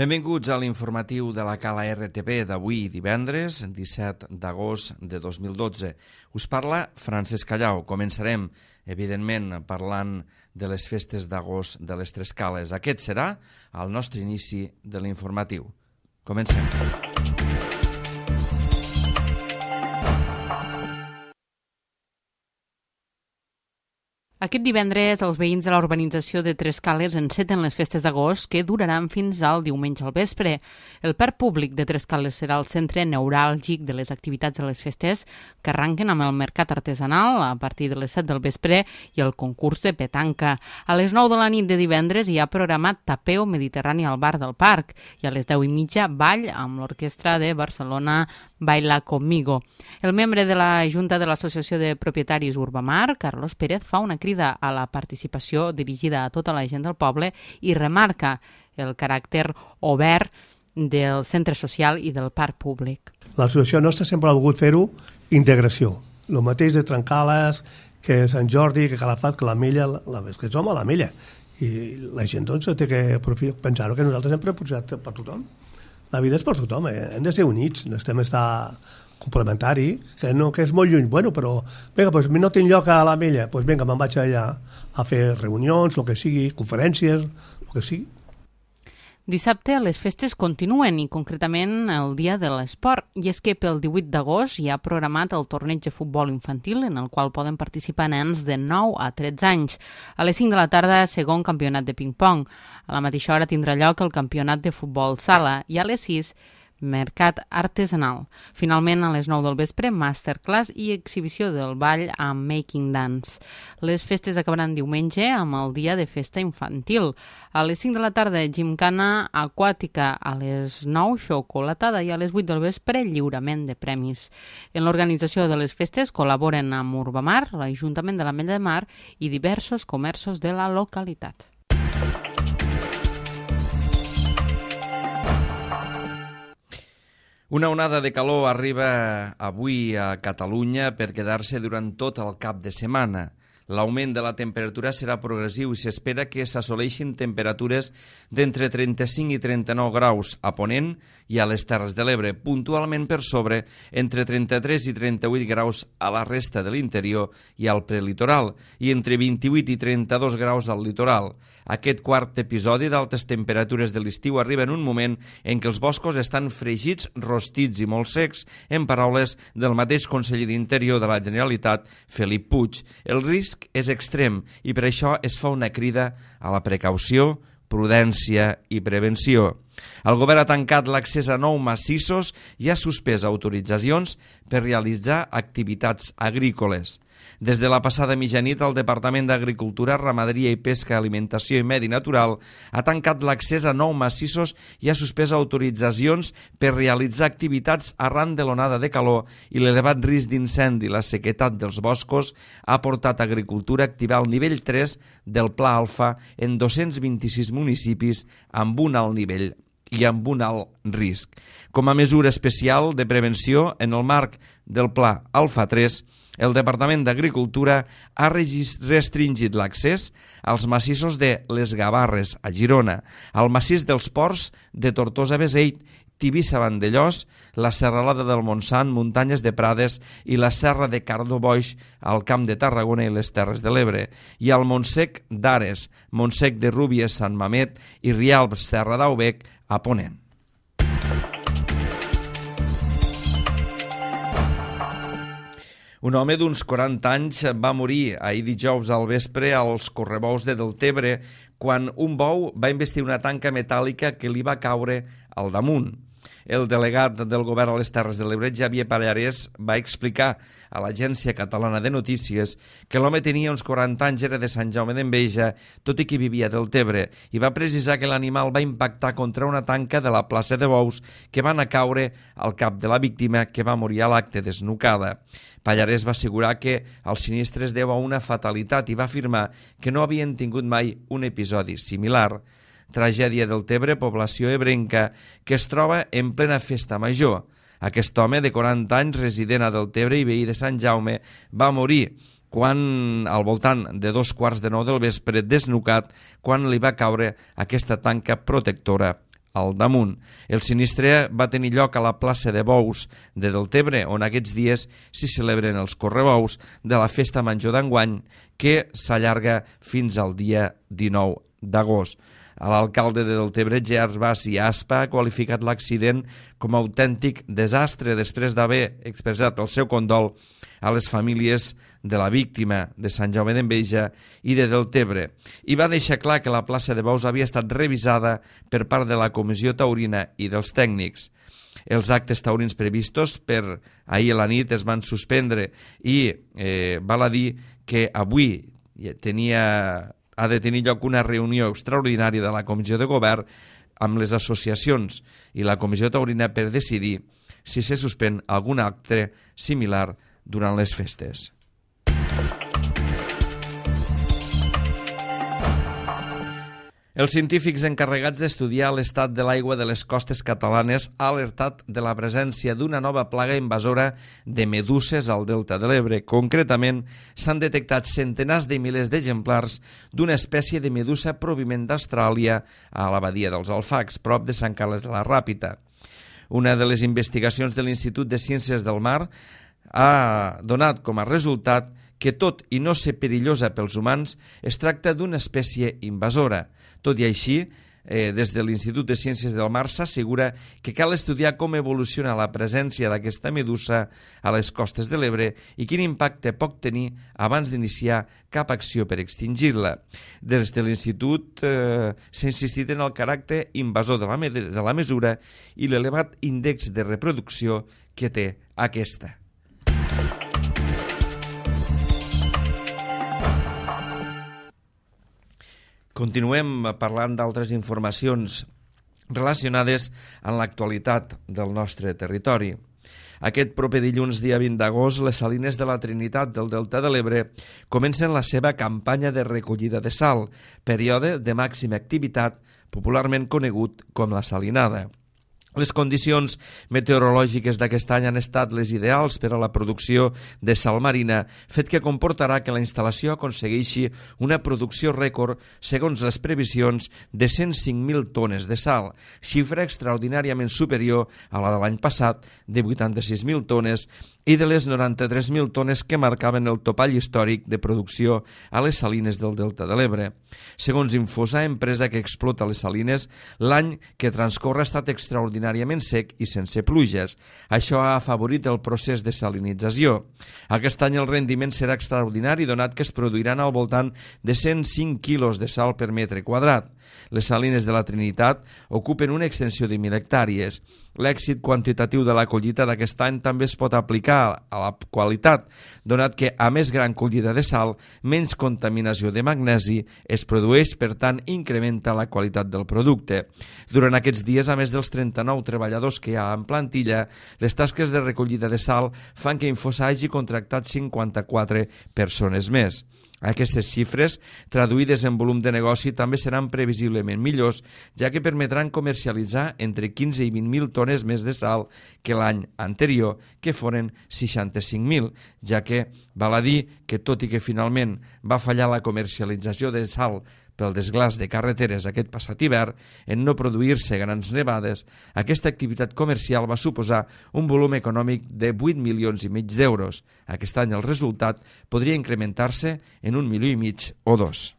Benvinguts a l'informatiu de la Cala RTP d'avui divendres, 17 d'agost de 2012. Us parla Francesc Callau. Començarem, evidentment, parlant de les festes d'agost de les Tres Cales. Aquest serà el nostre inici de l'informatiu. Comencem. Aquest divendres, els veïns de la urbanització de Tres Cales enceten les festes d'agost que duraran fins al diumenge al vespre. El parc públic de Tres Cales serà el centre neuràlgic de les activitats de les festes que arranquen amb el mercat artesanal a partir de les 7 del vespre i el concurs de petanca. A les 9 de la nit de divendres hi ha programat tapeo mediterrani al bar del parc i a les 10:30 ball amb l'orquestra de Barcelona Baila Conmigo. El membre de la Junta de l'Associació de Propietaris Urbamar, Carlos Pérez, fa una crida a la participació dirigida a tota la gent del poble i remarca el caràcter obert del centre social i del parc públic. L'associació nostra sempre ha volgut fer-ho integració. El mateix de Trencales, que Sant Jordi, que Calafat, que l'Ametlla, que som a l'Ametlla. I la gent doncs té que pensar que nosaltres hem proposat per tothom. La vida és per tothom, hem de ser units, necessitem estar complementari, que és molt lluny, bueno, però vinga, doncs no tinc lloc a l'Ametlla, doncs vinga, me'n vaig allà a fer reunions, el que sigui, conferències, el que sigui. Dissabte les festes continuen i concretament el dia de l'esport, i és que pel 18 d'agost hi ha programat el torneig de futbol infantil en el qual poden participar nens de 9 a 13 anys. A les 5 de la tarda, segon campionat de ping-pong. A la mateixa hora tindrà lloc el campionat de futbol sala i a les 6 mercat artesanal. Finalment, a les 9 del vespre, masterclass i exhibició del ball amb Making Dance. Les festes acabaran diumenge amb el dia de festa infantil. A les 5 de la tarda, gimcana aquàtica, a les 9, xocolatada i a les 8 del vespre, lliurament de premis. En l'organització de les festes col·laboren amb Urbamar, l'Ajuntament de l'Ametlla de Mar i diversos comerços de la localitat. Una onada de calor arriba avui a Catalunya per quedar-se durant tot el cap de setmana. L'augment de la temperatura serà progressiu i s'espera que s'assoleixin temperatures d'entre 35 i 39 graus a Ponent i a les Terres de l'Ebre, puntualment per sobre entre 33 i 38 graus a la resta de l'interior i al prelitoral i entre 28 i 32 graus al litoral. Aquest quart episodi d'altes temperatures de l'estiu arriba en un moment en què els boscos estan fregits, rostits i molt secs, en paraules del mateix conseller d'Interior de la Generalitat, Felip Puig. El risc és extrem i per això es fa una crida a la precaució, prudència i prevenció. El govern ha tancat l'accés a 9 massissos i ha suspès autoritzacions per realitzar activitats agrícoles. Des de la passada mitjanit, el Departament d'Agricultura, Ramaderia i Pesca, Alimentació i Medi Natural ha tancat l'accés a 9 massissos i ha suspès autoritzacions per realitzar activitats arran de l'onada de calor i l'elevat risc d'incendi i la sequedat dels boscos ha portat Agricultura a activar el nivell 3 del Pla Alfa en 226 municipis amb un alt nivell i amb un alt risc. Com a mesura especial de prevenció, en el marc del Pla Alfa 3, el Departament d'Agricultura ha restringit l'accés als massissos de les Gavarres, a Girona, al massís dels Ports de Tortosa-Beseit, Tivissa-Vandellós, la Serralada del Montsant, Muntanyes de Prades i la Serra de Cardo-Boix al Camp de Tarragona i les Terres de l'Ebre, i al Montsec d'Ares, Montsec de Rúbies, Sant Mamet i Rialb, Serra d'Aubec, a Ponent. Un home d'uns 40 anys va morir ahir dijous al vespre als correbous de Deltebre quan un bou va investir una tanca metàl·lica que li va caure al damunt. El delegat del govern a les Terres de l'Ebre, Xavier Pallarès, va explicar a l'Agència Catalana de Notícies que l'home tenia uns 40 anys, era de Sant Jaume d'Enveja, tot i que vivia a Deltebre, i va precisar que l'animal va impactar contra una tanca de la plaça de bous que van a caure al cap de la víctima, que va morir a l'acte desnucada. Pallarès va assegurar que el sinistre es deu a una fatalitat i va afirmar que no havien tingut mai un episodi similar. Tragèdia del Tebre, població ebrenca, que es troba en plena festa major. Aquest home de 40 anys, resident a Deltebre i veí de Sant Jaume, va morir quan al voltant de 2:15 del vespre, desnucat, quan li va caure aquesta tanca protectora al damunt. El sinistre va tenir lloc a la plaça de Bous de Deltebre, on aquests dies s'hi celebren els correbous de la festa major d'enguany, que s'allarga fins al dia 19 d'agost. L'alcalde de Deltebre, Gerard Bas i Aspa, ha qualificat l'accident com a autèntic desastre després d'haver expressat el seu condol a les famílies de la víctima de Sant Jaume d'Enveja i de Deltebre, i va deixar clar que la plaça de Bous havia estat revisada per part de la Comissió Taurina i dels tècnics. Els actes taurins previstos per ahir a la nit es van suspendre i val a dir que avui ha de tenir lloc una reunió extraordinària de la Comissió de Govern amb les associacions i la Comissió Taurina per decidir si se suspèn algun acte similar durant les festes. Els científics encarregats d'estudiar l'estat de l'aigua de les costes catalanes han alertat de la presència d'una nova plaga invasora de meduses al delta de l'Ebre. Concretament, s'han detectat centenars de milers d'exemplars d'una espècie de medusa provinent d'Austràlia a la badia dels Alfacs, prop de Sant Carles de la Ràpita. Una de les investigacions de l'Institut de Ciències del Mar ha donat com a resultat que, tot i no ser perillosa pels humans, es tracta d'una espècie invasora. Tot i així, des de l'Institut de Ciències del Mar s'assegura que cal estudiar com evoluciona la presència d'aquesta medusa a les costes de l'Ebre i quin impacte pot tenir abans d'iniciar cap acció per extingir-la. Des de l'Institut s'ha insistit en el caràcter invasor de la mesura i l'elevat índex de reproducció que té aquesta. Continuem parlant d'altres informacions relacionades amb l'actualitat del nostre territori. Aquest proper dilluns, dia 20 d'agost, les Salines de la Trinitat del Delta de l'Ebre comencen la seva campanya de recollida de sal, període de màxima activitat, popularment conegut com la salinada. Les condicions meteorològiques d'aquest any han estat les ideals per a la producció de sal marina, fet que comportarà que la instal·lació aconsegueixi una producció rècord segons les previsions de 105.000 tones de sal, xifra extraordinàriament superior a la de l'any passat de 86.000 tones i de les 93.000 tones que marcaven el topall històric de producció a les salines del Delta de l'Ebre. Segons Infosa, empresa que explota les salines, l'any que transcorre ha estat extraordinàriament sec i sense pluges. Això ha afavorit el procés de salinització. Aquest any el rendiment serà extraordinari, donat que es produiran al voltant de 105 quilos de sal per metre quadrat. Les salines de la Trinitat ocupen una extensió de 1.000 hectàrees. L'èxit quantitatiu de la collita d'aquest any també es pot aplicar a la qualitat, donat que a més gran collida de sal, menys contaminació de magnesi es produeix, per tant incrementa la qualitat del producte. Durant aquests dies, a més dels 39 treballadors que hi ha en plantilla, les tasques de recollida de sal fan que Infosa hagi contractat 54 persones més. Aquestes xifres, traduïdes en volum de negoci, també seran previsiblement millors, ja que permetran comercialitzar entre 15 i 20.000 tones més de sal que l'any anterior, que foren 65.000, ja que val a dir que, tot i que finalment va fallar la comercialització de sal pel desglaç de carreteres aquest passat hivern, en no produir-se grans nevades, aquesta activitat comercial va suposar un volum econòmic de 8,5 milions d'euros. Aquest any el resultat podria incrementar-se en 1,5 milions o 2.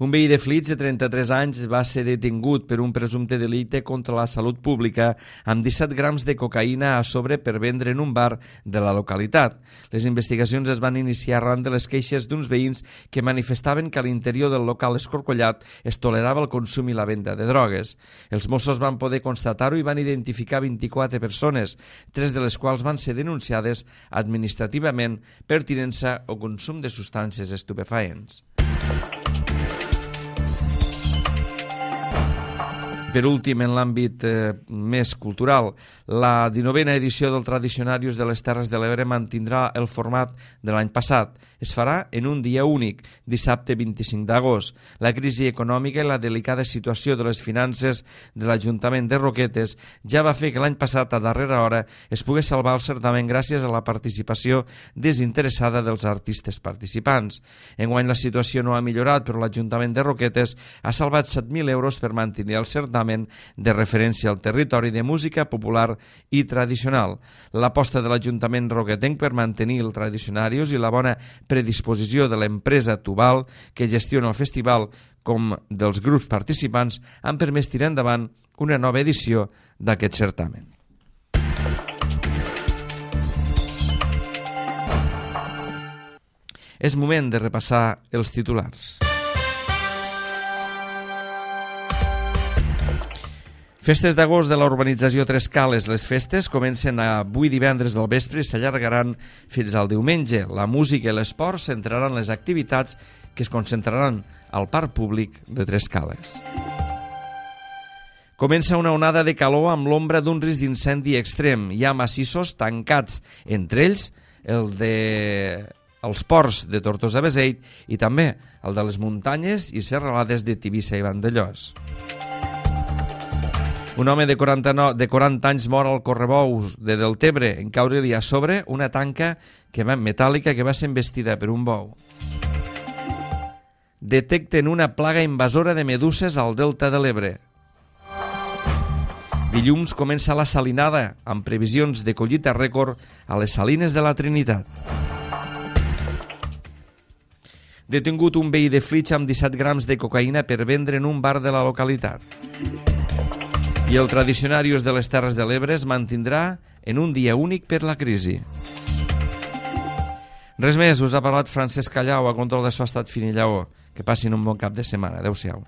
Un veí de Flix de 33 anys va ser detingut per un presumpte delicte contra la salut pública amb 17 grams de cocaïna a sobre per vendre en un bar de la localitat. Les investigacions es van iniciar arran de les queixes d'uns veïns que manifestaven que a l'interior del local escorcollat es tolerava el consum i la venda de drogues. Els Mossos van poder constatar-ho i van identificar 24 persones, 3 de les quals van ser denunciades administrativament per tinença o consum de substàncies estupefaents. Per últim, en l'àmbit més cultural, la 19a edició del Tradicionarius de les Terres de l'Ebre mantindrà el format de l'any passat. Es farà en un dia únic, dissabte 25 d'agost. La crisi econòmica i la delicada situació de les finances de l'Ajuntament de Roquetes ja va fer que l'any passat, a darrera hora, es pogués salvar el certamen gràcies a la participació desinteressada dels artistes participants. Enguany la situació no ha millorat, però l'Ajuntament de Roquetes ha salvat 7.000 euros per mantenir el certamen de referència al territori de música popular i tradicional. L'aposta de l'Ajuntament roquetenc per mantenir el Tradicionarius i la bona predisposició de l'empresa Tubal que gestiona el festival com dels grups participants han permès tirar endavant una nova edició d'aquest certamen. És moment de repassar els titulars. Festes d'agost de la urbanització Tres Cales. Les festes comencen avui divendres del vespre i s'allargaran fins al diumenge. La música i l'esport centraran les activitats que es concentraran al parc públic de Tres Cales. Comença una onada de calor amb l'ombra d'un risc d'incendi extrem. Hi ha massissos tancats, entre ells els ports de Tortosa-Beseit i també el de les muntanyes i serralades de Tivissa i Vandellòs. Un home de 40 anys mor al Correbous de Deltebre en caure-li a sobre una tanca metàl·lica que va ser embestida per un bou. Detecten una plaga invasora de meduses al delta de l'Ebre. Dilluns comença la salinada, amb previsions de collita rècord a les salines de la Trinitat. Detingut un veí de Flix amb 17 grams de cocaïna per vendre en un bar de la localitat. I el Tradicionarius de les Terres de l'Ebre es mantindrà en un dia únic per la crisi. Res més, us ha parlat Francesc Callau, a control de so ha estat Fini Lleó. Que passin un bon cap de setmana. Adéu-siau.